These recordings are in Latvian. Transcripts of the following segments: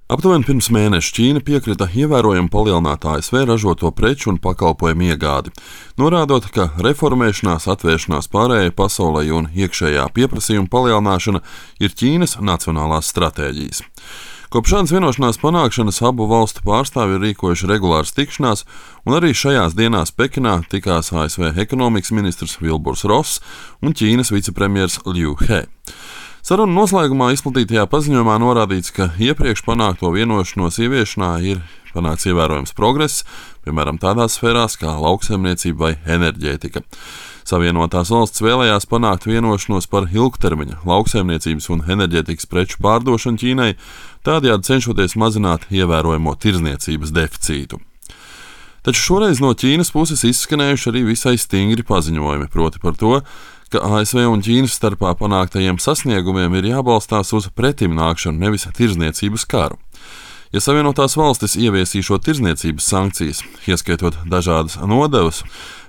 Aptuveni pirms mēneša Ķīna piekrita ievērojami palielināt ASV ražoto preču un pakalpojumu iegādi, norādot, ka reformēšanās, atvēršanās pārējai pasaulē un iekšējā pieprasījuma palielināšana ir Ķīnas nacionālās stratēģijas. Kopš šādas vienošanās panākšanas abu valstu pārstāvji ir rīkojuši regulāras tikšanās, un arī šajās dienās Pekinā tikās ASV ekonomikas ministrs Vilburs Ross un Ķīnas vicepremjers Liu He. Sarunu noslēgumā izplatītajā paziņojumā norādīts, ka iepriekš panākto vienošanos ieviešanā ir panākts ievērojams progress, piemēram, tādās sfērās kā lauksaimniecība vai enerģētika. Savienotās valsts vēlējās panākt vienošanos par ilgtermiņa lauksaimniecības un enerģētikas preču pārdošanu Ķīnai, tādējādi cenšoties mazināt ievērojamo tirdzniecības deficītu. Taču šoreiz no Ķīnas puses izskanējuši arī visai stingri paziņojumi, proti par to, ka ASV un Ķīnas starpā panāktajiem sasniegumiem ir jābalstās uz pretimnākšanu, nevis tirdzniecības karu. Ja Savienotās valstis ieviesīšot tirdzniecības sankcijas, ieskaitot dažādas nodevas,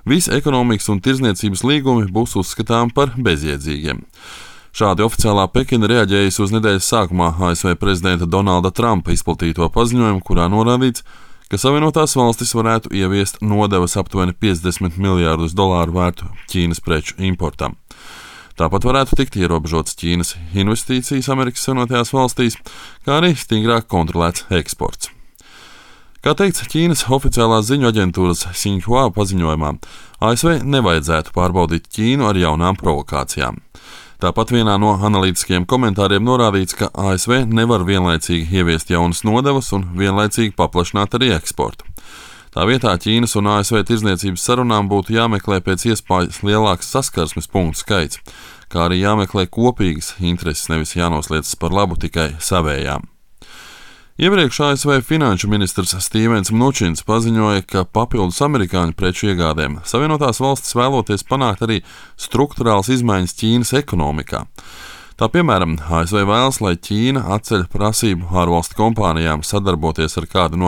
visi ekonomikas un tirdzniecības līgumi būs uzskatām par bezjēdzīgiem. Šādi oficiālā Pekina reaģējas uz nedēļas sākumā ASV prezidenta Donalda Trumpa izplatīto paziņojumu, kurā norādīts, ka Savienotās valstis varētu ieviest nodevas aptuveni $50 miljārdus vērtu Ķīnas preču importam. Tāpat varētu tikt ierobežotas Ķīnas investīcijas Amerikas Savienotajās valstīs, kā arī stingrāk kontrolēts eksports. Kā teikts Ķīnas oficiālās ziņu aģentūras Xinhua paziņojumā, ASV nevajadzētu pārbaudīt Ķīnu ar jaunām provokācijām. Tāpat vienā no analītiskajiem komentāriem norādīts, ka ASV nevar vienlaicīgi ieviest jaunas nodevas un vienlaicīgi paplašināt arī eksportu. Tā vietā Ķīnas un ASV tirdzniecības sarunām būtu jāmeklē pēc iespējas lielāks saskarsmes punktu skaits, kā arī jāmeklē kopīgas intereses, nevis jānosliecas par labu tikai savējām. Iepriekš ASV finanšu ministrs Stīvens Mnučins paziņoja, ka papildus amerikāņu preču iegādēm Savienotās valstis vēloties panākt arī strukturāls izmaiņas Ķīnas ekonomikā. Tā piemēram, ASV vēlas, lai Ķīna atceļ prasību ārvalstu kompānijām sadarboties ar kādu no